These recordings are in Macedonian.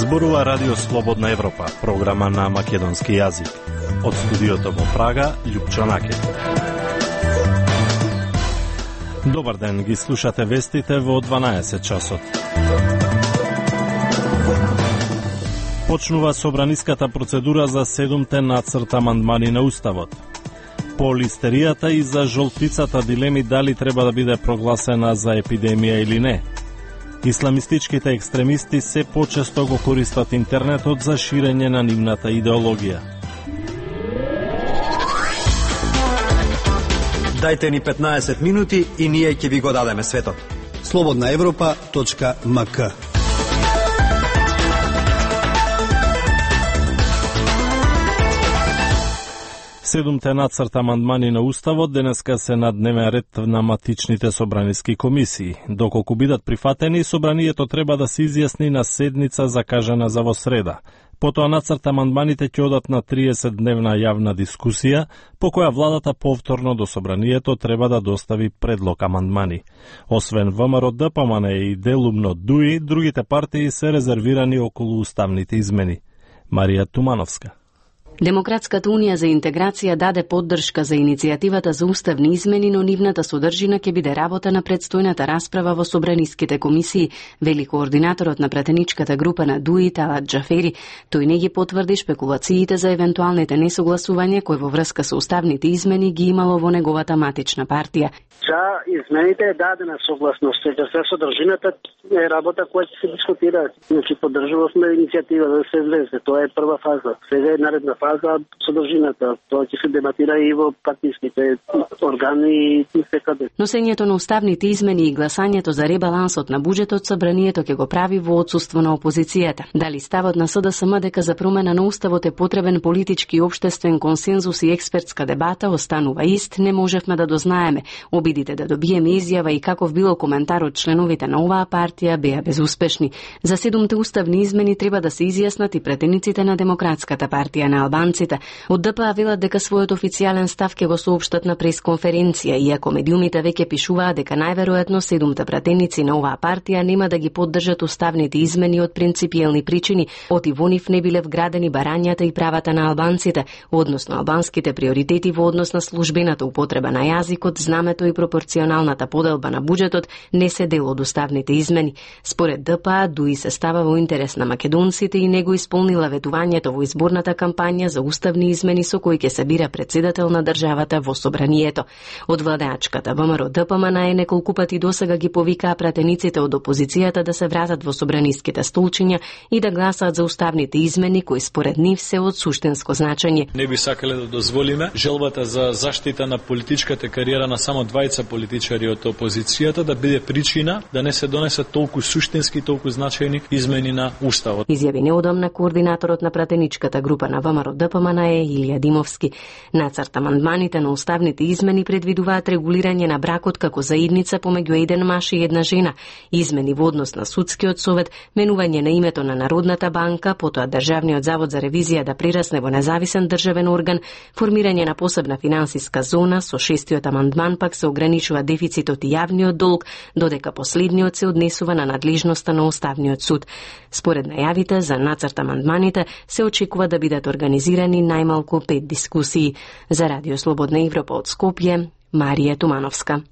Зборува Радио Слободна Европа, програма на македонски јазик. Од студиото во Прага, Љупчо Наке. Добар ден, ги слушате вестите во 12 часот. Почнува собраниската процедура за 7-те нацрт амандмани на Уставот. По листеријата и за жолтицата дилеми дали треба да биде прогласена за епидемија или не. Исламистичките екстремисти се почесто го користат интернетот за ширење на нивната идеологија. Дајте ни 15 минути и ние ќе ви го дадеме светот. slobodnaevropa.mk 7-те нацрт амандмани на Уставот денеска се на дневен ред на матичните собраниски комисии. Доколку бидат прифатени, собранието треба да се изјасни на седница закажана за во среда. Потоа нацрт амандманите ќе одат на 30-дневна јавна дискусија, по која владата повторно до собранието треба да достави предлог амандмани. Освен ВМРО ДПМН и делумно ДУИ, другите партии се резервирани околу уставните измени. Марија Тумановска. Демократската унија за интеграција даде поддршка за иницијативата за уставни измени, но нивната содржина ќе биде работа на предстојната расправа во собраниските комисии, вели координаторот на пратеничката група на ДУИ Талат Џафери. Тој не ги потврди шпекулациите за евентуалните несогласувања кои во врска со уставните измени ги имало во неговата матична партија. За измените е дадена согласност, за содржината е работа која ќе се дискутира. Значи поддржувавме иницијатива да се влезе, тоа е прва фаза. Сега е наредна фаза содржината, тоа ќе се дебатира и во партиските органи и секаде. Носењето на уставните измени и гласањето за ребалансот на буџетот собранието ќе го прави во отсуство на опозицијата. Дали ставот на СДСМ дека за промена на уставот е потребен политички и општествен консензус и експертска дебата останува ист, не можевме да дознаеме. Обидите да добиеме изјава и каков било коментар од членовите на оваа партија беа безуспешни. За 7-те уставни измени треба да се изјаснат и претениците на Демократската партија на албанците. Од ДПА велат дека својот официјален став ќе го соопштат на пресконференција, иако медиумите веќе пишуваат дека најверојатно 7-те пратеници на оваа партија нема да ги поддржат уставните измени од принципиелни причини, оти во нив не биле вградени барањата и правата на албанците, односно албанските приоритети во однос на службената употреба на јазикот, знамето и пропорционалната поделба на буџетот не се дел од уставните измени. Според ДПА, ДУИ се става во интерес на македонците и не го исполнила ветувањето во изборната кампања за уставни измени со кои ќе се бира председател на државата во собранието. Од владеачката ВМРО ДПМН неколку пати досега ги повикаа пратениците од опозицијата да се вратат во собраниските столчиња и да гласаат за уставните измени кои според нив се од суштинско значење. Не би сакале да дозволиме желбата за заштита на политичката кариера на само двајца политичари од опозицијата да биде причина да не се донесат толку суштински, толку значајни измени на уставот. Изјави неодамна координаторот на пратеничката група на ВМРО ДПМН Илија Димовски. Нацрт амандманите на уставните измени предвидуваат регулирање на бракот како заедница помеѓу еден маж и една жена, измени во однос на судскиот совет, менување на името на Народната банка, потоа Државниот завод за ревизија да прерасне во независен државен орган, формирање на посебна финансиска зона, со 6-тиот амандман пак се ограничува дефицитот и јавниот долг, додека последниот се однесува на надлежноста на Уставниот суд. Според најавите за нацрт амандманите се очекува да бидат организирани најмалку 5 дискусии. За Радио Слободна Европа од Скопје, Марија Тумановска.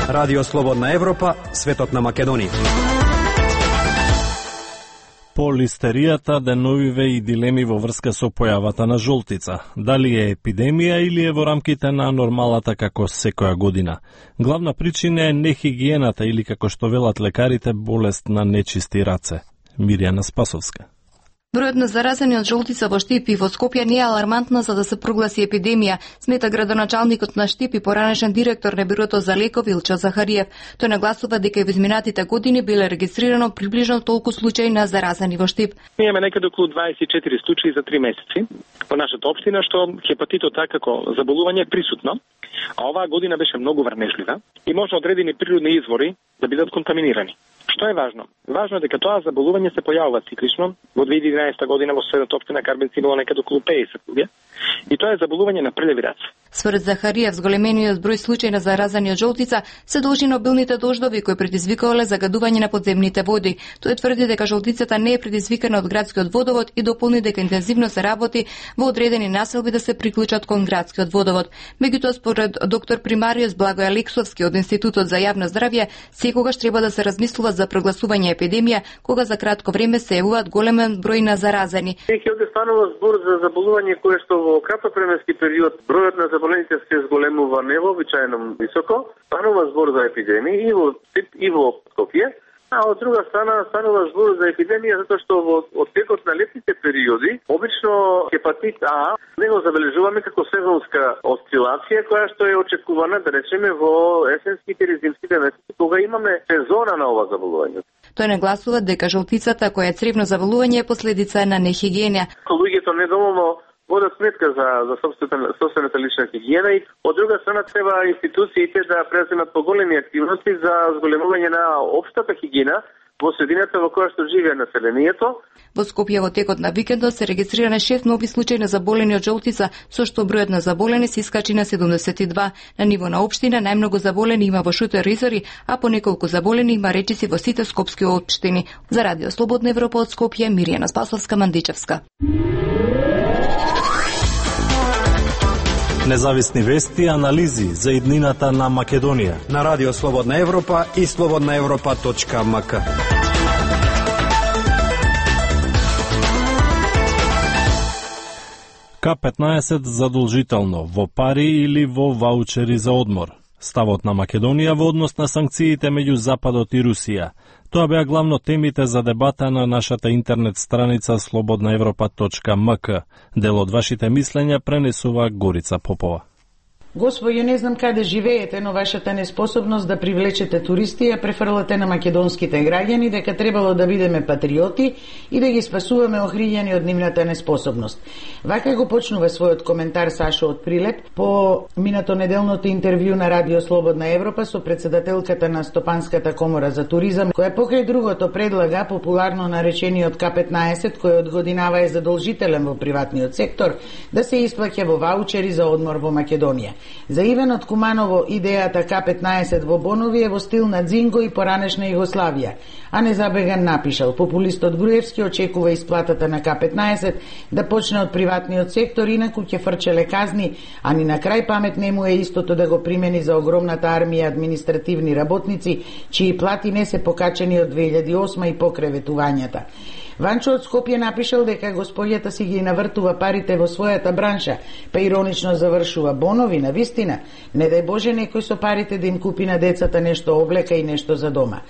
Радио Слободна Европа, светот на Македонија. По листеријата деновиве и дилеми во врска со појавата на жолтица. Дали е епидемија или е во рамките на нормалата како секоја година. Главна причина е нехигиената или како што велат лекарите болест на нечисти раце. Мирјана Спасовска. Бројот на заразени од жолтица во Штип и во Скопје не е алармантна за да се прогласи епидемија, смета градоначалникот на Штип и поранешен директор на Бирото за лекови Илчо Захариев. Тој нагласува дека во изминатите години биле регистрирано приближно толку случаи на заразени во Штип. Ние имаме некаде околу 24 случаи за 3 месеци во нашата општина, што хепатитот А како заболување е присутно, а оваа година беше многу врнежлива и може одредени природни извори да бидат контаминирани. Што е важно? Важно е дека тоа заболување се појавува циклично. Во 2011 година во соседната општина Карбенци било некаде околу 50 луѓе. И тоа е заболување на прљави раце. Според Захариев, зголемениот број случаи на заразани од жолтица се должи на обилните дождови кои предизвикале загадување на подземните води. Тој тврди дека жолтицата не е предизвикана од градскиот водовод и дополни дека интензивно се работи во одредени населби да се приклучат кон градскиот водовод. Меѓутоа, според доктор примариус Благој Алексовски од Институтот за јавно здравје, секогаш треба да се размислува за прогласување епидемија кога за кратко време се јавуваат големен број на заразени. Овде станува збор за заболување кое што во кратковременски период бројот на заболените се зголемува невообичаено високо. Станува збор за епидемија и во Скопје. А од друга страна станува збор за епидемија затоа што во текот на летните периоди обично хепатит А не го забележуваме како сезонска осцилација која што е очекувана, да речеме, во есенските или зимските месеци кога имаме сезона на ова заболување. Тој нагласува дека жолтицата која е цревно заболување е последица на нехигиена. Луѓето недоволно водат сметка за собствената лична хигиена и од друга страна треба институциите да преземат поголеми активности за зголемување на општата хигиена во средината во која што живее населението. Во Скопје во текот на викендот се регистрирани 6 нови случаи на заболени од жолтица, со што бројот на заболени се искачи на 72. На ниво на општина најмногу заболени има во Шутер и Зори, а по неколку заболени има речиси во сите скопски општини. За Радио Слободна Европа од Скопје, Миријана Спасовска-Мандичевска. Независни вести и анализи за иднината на Македонија. На Радио Слободна Европа и slobodnaevropa.mk. К-15 задолжително, во пари или во ваучери за одмор. Ставот на Македонија во однос на санкциите меѓу Западот и Русија. Тоа беа главно темите за дебата на нашата интернет страница slobodnaevropa.mk. Дел од вашите мислења пренесува Горица Попова. Господи, не знам каде живеете, но вашата неспособност да привлечете туристи ја префрлате на македонските граѓани дека требало да бидеме патриоти и да ги спасуваме охриѓани од нивната неспособност. Вака го почнува својот коментар Сашо од Прилеп по минато неделното интервју на Радио Слободна Европа со председателката на Стопанската комора за туризам, која покрај другото предлага популарно наречениот К-15, кој од годинава е задолжителен во приватниот сектор, да се исплаќа во ваучери за одмор во Македонија. За Иван од Куманово идејата К-15 во Бонови е во стил на Дзинго и поранешна Југославија, а не забеган напишал. Популистот Груевски очекува исплатата на К-15 да почне од приватниот сектор, инаку ќе фрчеле казни, а ни на крај памет не му е истото да го примени за огромната армија административни работници, чии плати не се покачени од 2008 и покреветувањата. Ванчо од Скопје напишал дека господјата си ги навртува парите во својата бранша, па иронично завршува: Бонови, на вистина, не дај Боже некој со парите да им купи на децата нешто облека и нешто за дома.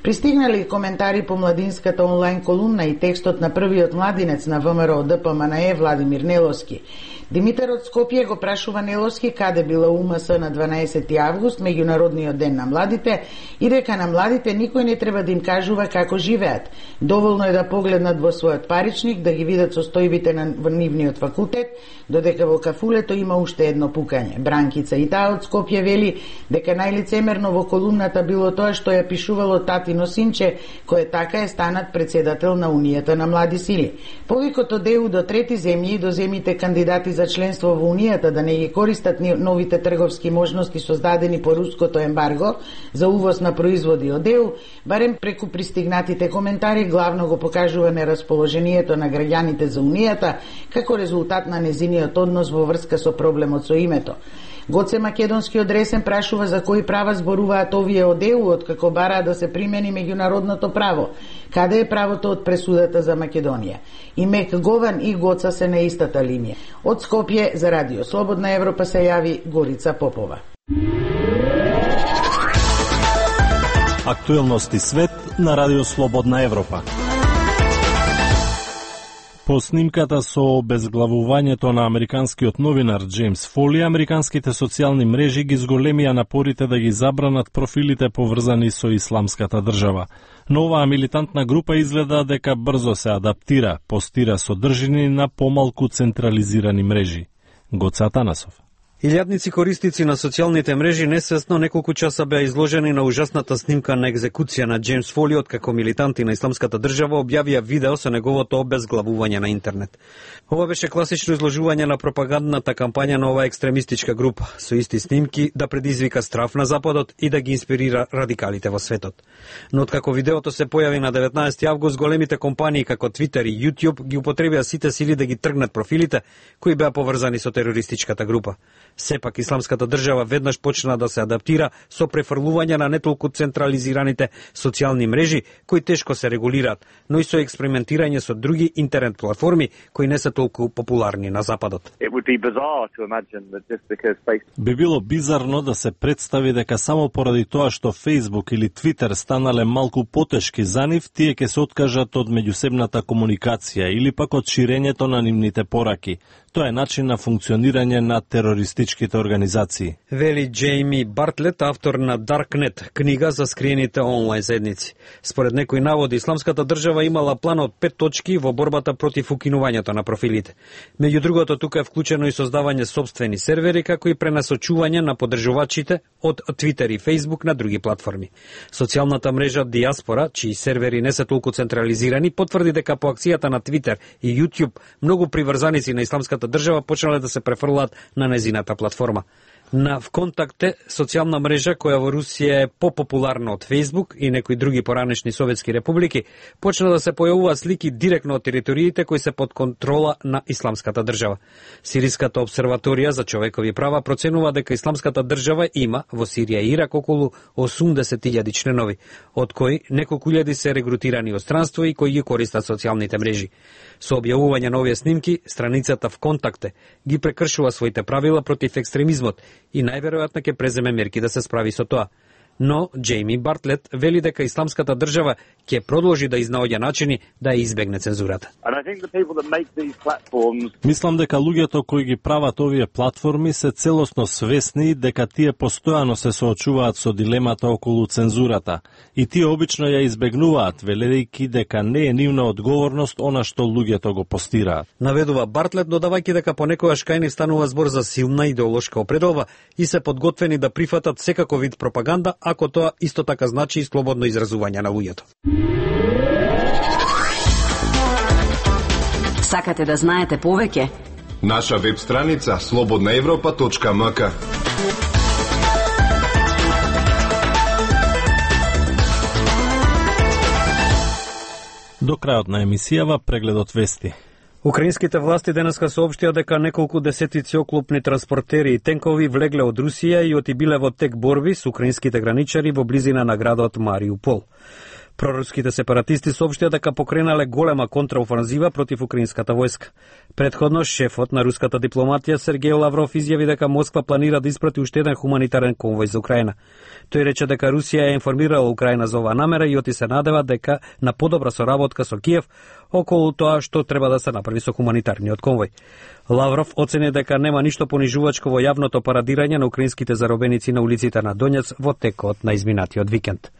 Пристигнали коментари по младинската онлайн колумна и текстот на првиот младинец на ВМРО ДПМНЕ Владимир Неловски. Димитар од Скопје го прашува Неловски каде била УМС на 12 август, меѓународниот ден на младите, и дека на младите никој не треба да им кажува како живеат. Доволно е да погледнат во својот паричник, да ги видат состојбите на нивниот факултет, додека во кафулето има уште едно пукање. Бранкица и таа од Скопје вели дека најлицемерно во колумната било тоа што ја пишувало татино синче, кој така е станат председател на Унијата на млади сили. Повикото ДЕУ до трети земји и до земјите кандидати за членство во Унијата да не ги користат новите трговски можности создадени по руското ембарго за увоз на производи од ЕУ, барем преку пристигнатите коментари главно го покажува нерасположението на граѓаните за Унијата како резултат на незиниот однос во врска со проблемот со името. Гоце Македонски од Ресен прашува за кои права зборуваат овие од ЕУ, откако бараа да се примени меѓународното право. Каде е правото од пресудата за Македонија? И Мек Гован и Гоца се на истата линија. Од Скопје за Радио Слободна Европа се јави Горица Попова. Актуелности свет на Радио Слободна Европа. По снимката со обезглавувањето на американскиот новинар Джеймс Фоли, американските социјални мрежи ги зголемија напорите да ги забранат профилите поврзани со исламската држава. Но оваа милитантна група изгледа дека брзо се адаптира, постира содржини на помалку централизирани мрежи. Гоце Атанасов. Илјадници корисници на социјалните мрежи несвесно неколку часа беа изложени на ужасната снимка на екзекуција на Џејмс Фоли, откако милитанти на Исламската држава објавија видео со неговото обезглавување на интернет. Ова беше класично изложување на пропагандната кампања на оваа екстремистичка група, со исти снимки да предизвика страф на Западот и да ги инспирира радикалите во светот. Но откако видеото се појави на 19 август, големите компании како Twitter и YouTube ги употребија сите сили да ги тргнат профилите кои беа поврзани со терористичката група. Сепак Исламската држава веднаш почна да се адаптира со префрлување на не толку централизираните социјални мрежи кои тешко се регулираат, но и со експериментирање со други интернет платформи кои не се толку популарни на Западот. Би било бизарно да се представи дека само поради тоа што Facebook или Twitter станале малку потешки за нив, тие ќе се откажат од меѓусебната комуникација или пак од ширењето на нивните пораки. Тоа е начин на функционирање на терористичките организации. Вели Джейми Бартлет, автор на Darknet, книга за скриените онлайн заедници. Според некои наводи, Исламската држава имала план од 5 точки во борбата против укинувањето на профилите. Меѓу другото, тука е вклучено и создавање собствени сервери, како и пренасочување на поддржувачите од Twitter и Facebook на други платформи. Социјалната мрежа Диаспора, чии сервери не се толку централизирани, потврди дека по акцијата на Twitter и YouTube многу приврзаници на Исламската држава почнале да се префрлаат на незината платформа. На ВКонтакте, социјална мрежа која во Русија е попопуларна од Facebook и некои други поранешни советски републики, почна да се појавуваат слики директно од териториите кои се под контрола на Исламската држава. Сириската обсерваторија за човекови права проценува дека Исламската држава има во Сирија и Ирак околу 80.000 членови, од кои неколку илјади се регрутирани од странство и кои ги користат социјалните мрежи. Со објавување на овие снимки, страницата ВКонтакте ги прекршува своите правила против екстремизмот и најверојатно ќе преземе мерки да се справи со тоа. Но Джейми Бартлет вели дека Исламската држава ќе продолжи да изнаоѓа начини да избегне цензурата. Мислам дека луѓето кои ги прават овие платформи се целосно свесни дека тие постојано се соочуваат со дилемата околу цензурата и тие обично ја избегнуваат, велејќи дека не е нивна одговорност она што луѓето го постираат. Наведува Бартлет, додавајќи дека понекогаш кај нив станува збор за силна идеолошка определба и се подготвени да прифатат секако вид пропаганда, ако тоа исто така значи и слободно изразување на луѓето. Сакате да знаете повеќе? Наша веб страница slobodnaevropa.mk. До крајот на емисијава прегледот вести. Украинските власти денеска соопштија дека неколку десетици оклопни транспортери и тенкови влегле од Русија и отибиле во тек борби со украинските граничари во близина на градот Мариупол. Проруските сепаратисти соопштија дека покренале голема контраофанзива против украинската војска. Предходно, шефот на руската дипломатија Сергеј Лавров изјави дека Москва планира да испрати уште еден хуманитарен конвој за Украина. Тој рече дека Русија е информирала Украина за оваа намера и оти се надева дека на подобра соработка со Киев околу тоа што треба да се направи со хуманитарниот конвој. Лавров оцени дека нема ништо понижувачко во јавното парадирање на украинските заробеници на улиците на Донец во текот на изминатиот викенд.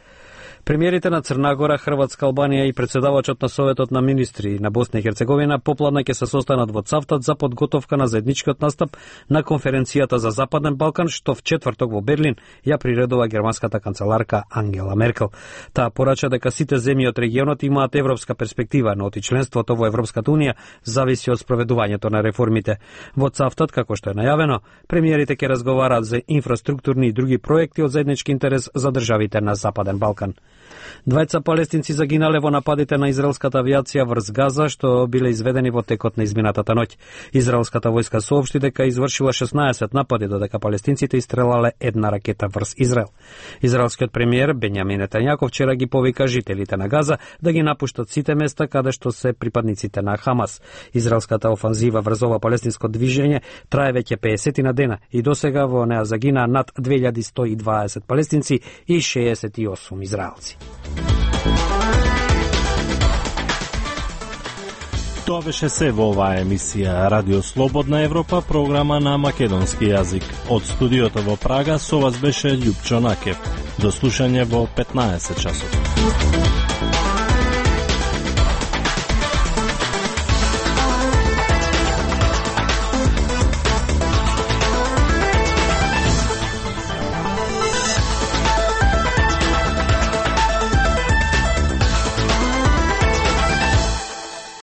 Премиерите на Црна Гора, Хрватска, Албанија и председавачот на Советот на министри на Босна и Херцеговина попладне ќе се состанат во Цавтат за подготовка на заедничкиот настап на конференцијата за Западен Балкан, што в четврток во Берлин ја приредува германската канцеларка Ангела Меркел. Таа порача дека сите земји од регионот имаат европска перспектива, но оти членството во Европската унија зависи од спроведувањето на реформите. Во Цавтат, како што е најавено, премиерите ќе разговараат за инфраструктурни и други проекти од заеднички интерес за државите на Западен Балкан. Двајца палестинци загинале во нападите на израелската авиација врз Газа, што биле изведени во текот на изминатата ноќ. Израелската војска соопшти дека извршила 16 напади, додека палестинците истрелале една ракета врз Израел. Израелскиот премиер Бенјамин Нетањако вчера ги повика жителите на Газа да ги напуштат сите места каде што се припадниците на Хамас. Израелската офанзива врз ова палестинско движење трае веќе 50 на дена и досега во неа загинаа над 2120 палестинци и 68 израелци. Тоа беше се во оваа емисија Радио Слободна Европа, програма на македонски јазик. Од студиото во Прага со вас беше Љупчо Накев. До слушање во 15 часот.